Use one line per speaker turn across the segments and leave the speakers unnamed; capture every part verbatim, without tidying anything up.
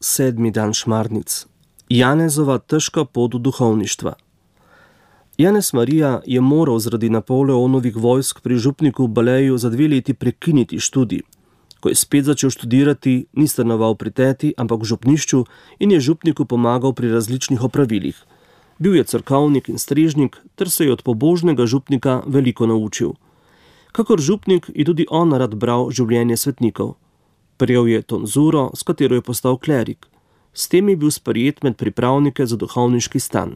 Sedmi dan šmarnic. Janezova težka pot v duhovništva. Janez Marija je moral zaradi Napoleonovih vojsk pri župniku Baleju za dve leti prekiniti študij. Ko je spet začel študirati, ni stanoval pri teti, ampak v župnišču in je župniku pomagal pri različnih opravilih. Bil je cerkovnik in strežnik ter se je od pobožnega župnika veliko naučil. Kakor župnik je tudi on rad bral življenje svetnikov. Prejel je tonzuro, s katero je postal klerik. S tem je bil sprejet med pripravnike za duhovniški stan.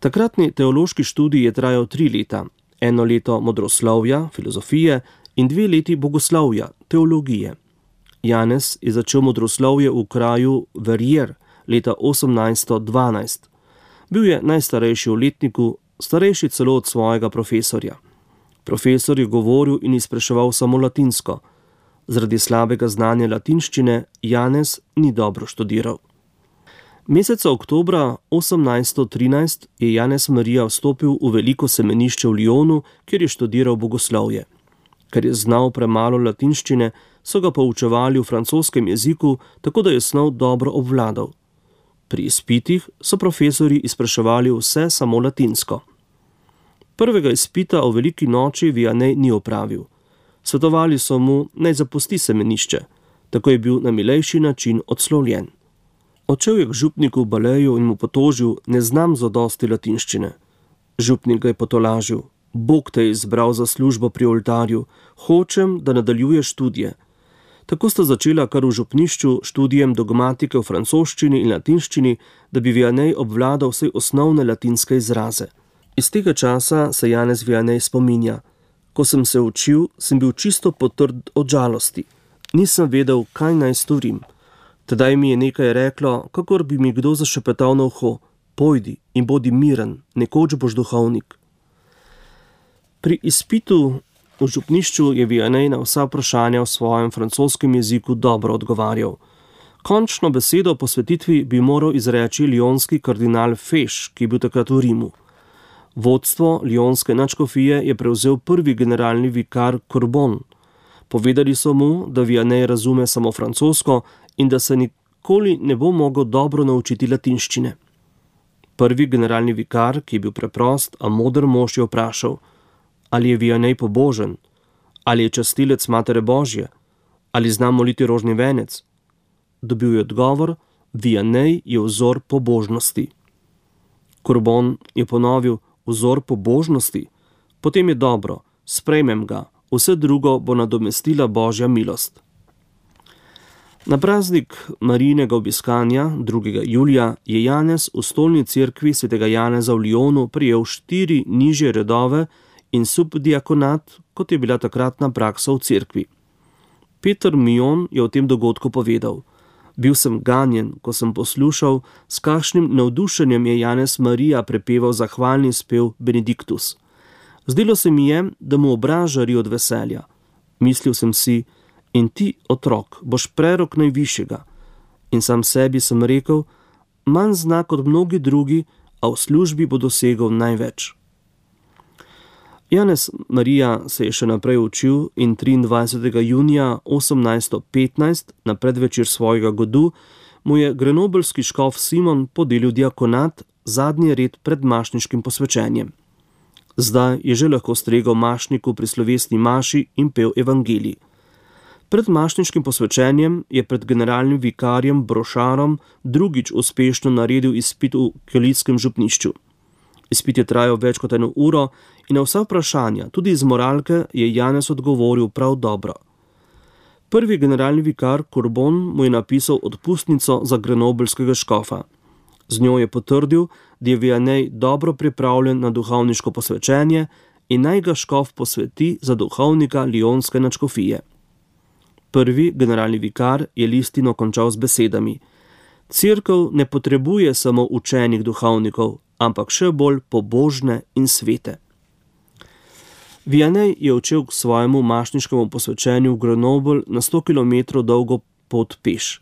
Takratni teološki študij je trajal tri leta, eno leto modroslovja, filozofije in dve leti bogoslovja, teologije. Janez je začel modroslovje v kraju Verrières leta osemnajststo dvanajst. Bil je najstarejši v letniku, starejši celo od svojega profesorja. Profesor je govoril in izpraševal samo latinsko. Zaradi slabega znanja latinščine Janez ni dobro študiral. Meseca oktobra osemnajststo trinajst je Janez Marija vstopil v veliko semenišče v Lyonu, kjer je študiral bogoslovje. Ker je znal premalo latinščine, so ga poučevali v francoskem jeziku, tako da je snov dobro obvladal. Pri izpitih so profesorji izpraševali vse samo latinsko. Prvega izpita o veliki noči Vianney ni opravil. Svetovali so mu, naj zapusti semenišče, tako je bil na milejši način odslovljen. Odšel je k župniku Baleju in mu potožil, ne znam zadosti latinščine. Župnik ga je potolažil, Bog te je izbral za službo pri oltarju, hočem, da nadaljuješ študije. Tako sta začela kar v župnišču študijem dogmatike v francoščini in latinščini, da bi Vianney obvladal vse osnovne latinske izraze. Iz tega časa se Janez Vianney spominja. Ko sem se učil, sem bil čisto potrd od žalosti. Nisem vedel, kaj naj storim. Tedaj mi je nekaj reklo, kakor bi mi kdo zašepetal na uho. Pojdi in bodi miren, nekoč boš duhovnik. Pri izpitu v župnišču je Vianney na vsa vprašanja v svojem francoskem jeziku dobro odgovarjal. Končno besedo o posvetitvi bi moral izreči lionski kardinal Fesch, ki je bil takrat v Rimu. Vodstvo lionske nadškofije je prevzel prvi generalni vikar Courbon. Povedali so mu, da Vianney razume samo francosko in da se nikoli ne bo mogel dobro naučiti latinščine. Prvi generalni vikar, ki je bil preprost, a moder mož, je vprašal, ali je Vianney pobožen, ali je častilec Matere Božje, ali zna moliti rožni venec. Dobil je odgovor, Vianney je vzor pobožnosti. Courbon je ponovil, vzor pobožnosti, potem je dobro, sprejmem ga, vse drugo bo nadomestila Božja milost. Na praznik Marijinega obiskanja, drugega julija, je Janez v stolni cerkvi svetega Janeza v Lyonu prijel štiri nižje redove in subdiakonat, kot je bila takratna praksa v cerkvi. Peter Mion je o tem dogodku povedal. Bil sem ganjen, ko sem poslušal, s kakšnim navdušenjem je Janez Marija prepeval zahvalni spev Benediktus. Zdelo se mi je, da mu obraz žari od veselja. Mislil sem si, in ti, otrok, boš prerok najvišjega. In sam sebi sem rekel, manj zna kot mnogi drugi, a v službi bo dosegel največ. Janez Marija se je še naprej učil in triindvajsetega junija osemnajststo petnajst, na predvečer svojega godu, mu je grenobelski škof Simon podelil diakonat, zadnji red pred mašniškim posvečenjem. Zdaj je že lahko stregel mašniku pri slovesni maši in pel evangelij. Pred mašniškim posvečenjem je pred generalnim vikarjem Brošarom drugič uspešno naredil izpit v kelitskem župnišču. Izpit je trajal več kot eno uro in na vsa vprašanja, tudi iz moralke, je Janez odgovoril prav dobro. Prvi generalni vikar Courbon mu je napisal odpustnico za grenobelskega škofa. Z njo je potrdil, da je Vianney dobro pripravljen na duhovniško posvečenje in naj ga škof posveti za duhovnika lionske nadškofije. Prvi generalni vikar je listino končal z besedami. Cerkev ne potrebuje samo učenih duhovnikov, ampak še bolj pobožne in svete. Vianney je odšel k svojemu mašniškemu posvečenju v Grenoble na sto kilometrov dolgo pot peš.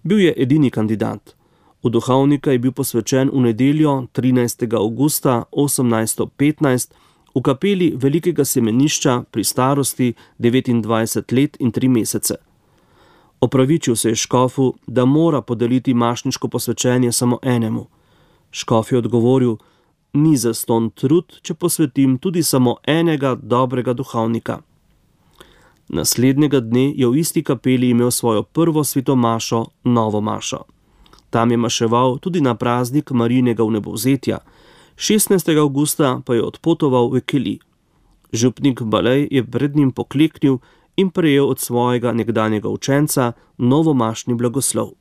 Bil je edini kandidat. V duhovnika je bil posvečen v nedeljo trinajstega avgusta osemnajststo petnajst v kapeli velikega semenišča pri starosti devetindvajset let in tri mesece. Opravičil se je škofu, da mora podeliti mašniško posvečenje samo enemu. Škof je odgovoril: ni zastonj trud, če posvetim tudi samo enega dobrega duhovnika. Naslednjega dne je v isti kapeli imel svojo prvo svetomašo, novo mašo. Tam je maševal tudi na praznik Marijinega vnebovzetja, šestnajstega avgusta pa je odpotoval v Keli. Župnik Balej je pred njim pokleknil in prejel od svojega nekdanjega učenca novomašni blagoslov.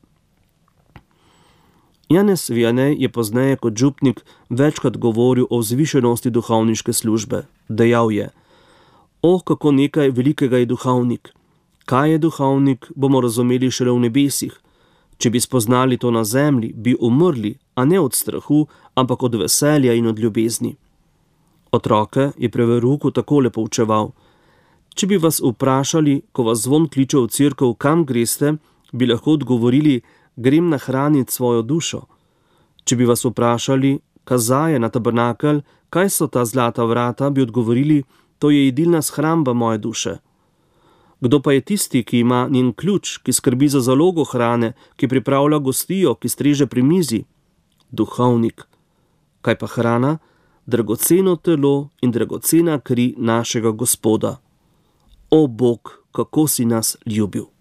Janez Vianney je pozneje kot župnik večkrat govoril o vzvišenosti duhovniške službe. Dejal je: o, kako nekaj velikega je duhovnik. Kaj je duhovnik, bomo razumeli šele v nebesih. Če bi spoznali to na zemlji, bi umrli, a ne od strahu, ampak od veselja in od ljubezni. Otroke je pri verouku takole poučeval: če bi vas vprašali, ko vas zvon kliče v cerkev, kam greste, bi lahko odgovorili: grem nahraniti svojo dušo. Če bi vas vprašali, kazaj je na tabernakelj, kaj so ta zlata vrata, bi odgovorili: to je jedilna shramba moje duše. Kdo pa je tisti, ki ima njen ključ, ki skrbi za zalogo hrane, ki pripravlja gostijo, ki streže pri mizi? Duhovnik. Kaj pa hrana? Dragoceno telo in dragocena kri našega Gospoda. O Bog, kako si nas ljubil!